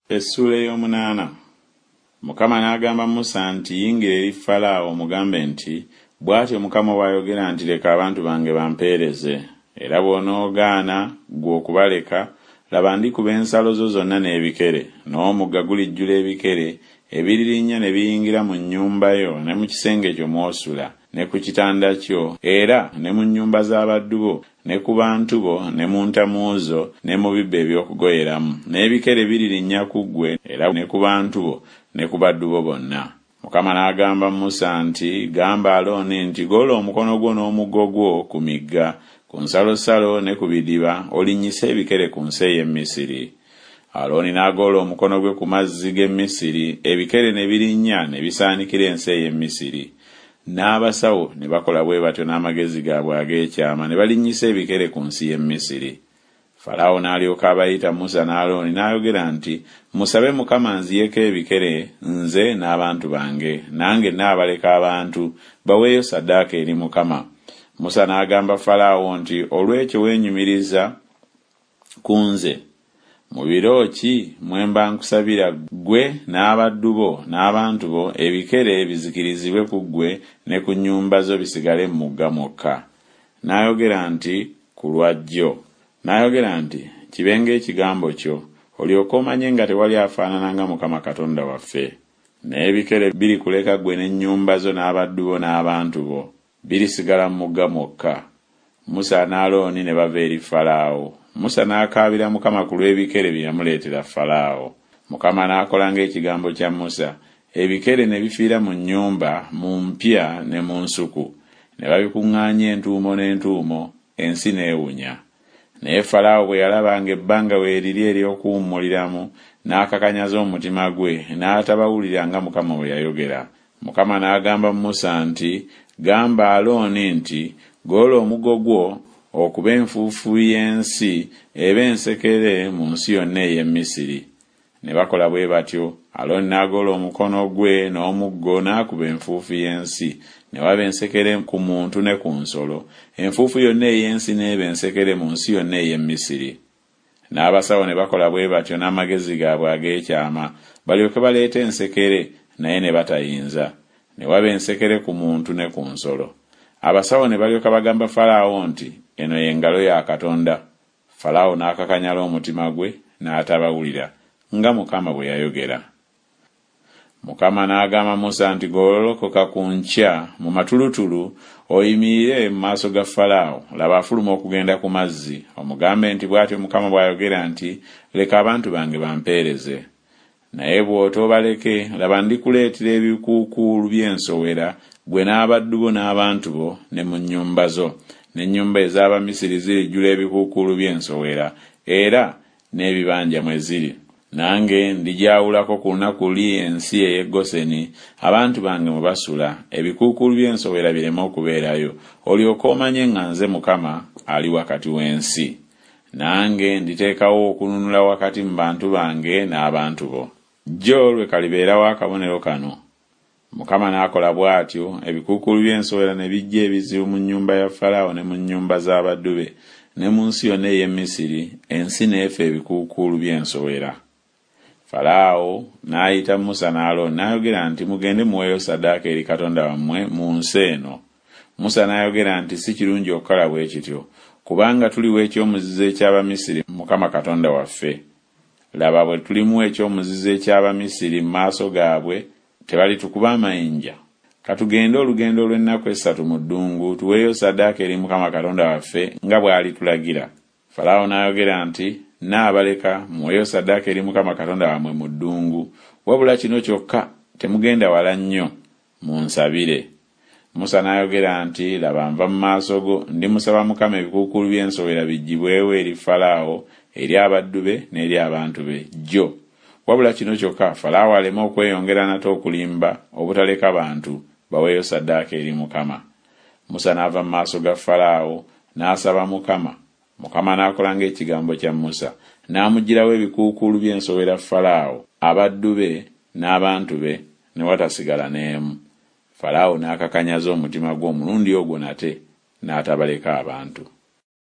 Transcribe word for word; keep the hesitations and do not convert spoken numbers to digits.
Essuula ey'omunaana. Mukama n'agamba Musa nti, Yingira eri Falaawo omugambe nti, Bw'atyo Mukama bw'ayogera nti, Leka abantu bange bampeereze. Era bw'onoogaana ggwe okubaleka, laba ndikuba ensalo zo zonna n'ebikere, n'omugga gulijjula ebikere, ebiririnnya ne biyingira mu nnyumba yo ne mu kisenge kyo mw'osula, ne ku kitanda kyo, era ne mu nnyumba z'abaddu bo, ne ku bantu bo, ne mu ntamu zo, ne mu bibbo eby'okugoyeramu. N'ebikere biririnnya ku ggwe era ne ku bantu bo ne ku baddu bo bonna. Mukama n'agamba Musa nti, Gamba Alooni nti, Golola omukono gwo n'omuggo gwo ku migga, ku nsalosalo ne ku bidiba, olinnyise ebikere ku nsi ey'e Misiri. Alooni n'agolola omukono gwe ku mazzi g'e Misiri, ebikere ne birinnya ne bisaanikira ensi ey'e Misiri. N'abasawo ne bakola bwe batyo n'amagezi gaabwe ag'ekyama ne balinnyisa ebikere ku nsi y'e Misiri. Falaawo n'alyoka abayita Musa ne Alooni n'ayogera nti, Musabe Mukama anziyeko ebikere nze n'abantu bange, nange nnaabaleka abantu baweeyo ssaddaaka eri Mukama. Musa n'agamba Falaawo nti, Olw'ekyo weenyumiriza ku nze? Mu biro ki mwe mba nkusabira ggwe n'abaddu bo n'abantu bo ebikere bizikirizibwe ku ggwe ne ku nnyumba zo bisigale mu mugga mwokka? N'ayogera nti, Ku lwa jjo. N'ayogera nti, Kibe ng'ekigambo kyo, olyoke omanye nga tewali afaanana nga Mukama Katonda waffe. N'ebikere birikuleka ggwe n'ennyumba zo n'abaddu bo n'abantu bo, birisigala mu mugga mwokka. Musa ne Alooni ne bava eri Falaawo. Musa n'akaabira Mukama ku lw'ebikere bye yamuleetera Falaawo. Mukama n'akola ng'ekigambo kya Musa, ebikere ne bifiira mu nnyumba, mu mpya ne mu nsuku. Ne babikuŋŋaanya entuumo n'entuumo, ensi n'ewunya. Naye Falaawo bwe yalaba ng'ebbanga weeriri ery'okuwummuliramu, n'akakanyaza omutima gwe, n'atabawulira nga Mukama bwe yayogera. Mukama n'agamba Musa nti, Gamba Alooni nti, Golola omuggo gwo okube enfuufu y'ensi ebe ensekere mu nsi yonna ey'e Misiri. Ne bakola bwe batyo. Alooni n'agolola omukono gwe n'omuggo n'akuba enfuufu y'ensi, ne waba ensekere ku muntu ne ku nsolo. Enfuufu yonna ey'ensi n'eba ensekere mu nsi yonna ey'e Misiri. N'abasawo ne bakola bwe batyo n'amagezi gaabwe ag'ekyama, balyoke baleete ensekere, naye ne batayinza. Ne waba ensekere ku muntu ne ku nsolo. Abasawo ne balyoka bagamba Falaawo nti, Eno ye ngalo ya Katonda. Falaawo n'akakanyala omutima gwe, n'atabawulira, nga Mukama bwe yayogera. Mukama n'agamba Musa nti, Golokoka ku nkya mu matulutulu, oyimirire mu maaso ga Falaawo, laba afuluma okugenda ku mazzi, omugambe nti, Bw'atyo Mukama bw'ayogera nti, Leka abantu bange bampeereze. Naye bw'otoobaleke, laba ndikuleetera ebikuukuulu by'ensowera, ggwe n'abaddu bo n'abantu bo ne mu nnyumba zo. N'ennyumba ez'Abamisiri zirijjula ebikuukuulu by'ensowera, era n'ebibanja mwe ziri. Nange ndigyawulako ku lunaku luli ensi ey'e Goseni, abantu bange mwe basula, ebikuukuulu by'ensowera bireme okubeerayo, olyoke omanye nga nze Mukama ali wakati w'ensi. Nange nditeekawo okununula wakati mu bantu bange n'abantu bo. Jjo lwe kalibeerawo akabonero kano. Mukama n'akola bw'atyo, ebikuukuulu by'ensowera ne bijja ebizibu mu nnyumba ya Falaawo ne mu nnyumba z'abaddu be, ne mu nsi yonna ey'e Misiri, ensi n'efa ebikuukuulu by'ensowera. Falaawo n'ayita Musa ne Alooni n'ayogera nti, Mugende muweeyo ssaddaaka eri Katonda wammwe mu nsi eno. Musa n'ayogera nti, Si kirungi okukola bwe kityo, kubanga tuliwa eky'omuzizo eky'Abamisiri Mukama Katonda waffe. Laba bwe tulimuwa eky'omuzizo eky'Abamisiri mu maaso gaabwe, tebalitukuba amayinja? Ka tugende olugendo olw'ennaku essatu mu ddungu, tuweeyo ssaddaaka eri Mukama Katonda waffe nga bw'alitulagira. Falaawo n'ayogera nti, Nnaabaleka muweeyo ssaddaaka eri Mukama Katonda wammwe mu ddungu, wabula kino kyokka temugenda wala nnyo, munsabire. Musa n'ayogera nti, Laba nva mu maaso go, ndimusaba Mukama ebikuukuulu by'ensowera biggyibwewo eri Falaawo, eri abaddu be n'eri abantu be jjo. Wabula kino kyokka Falaawo aleme okweyongera nate okulimba obutaleka bantu baweeyo ssaddaaka eri Mukama. Musa n'ava mu maaso ga Falaawo, n'asaba Mukama. Mukama n'akola ng'ekigambo kya Musa, n'amuggyirawo ebikuukuulu by'ensowera Falaawo, abaddu be n'abantu be, ne watasigala n'emu. Falaawo n'akakanyaza omutima gwe omulundi ogwo nate, n'atabaleka abantu.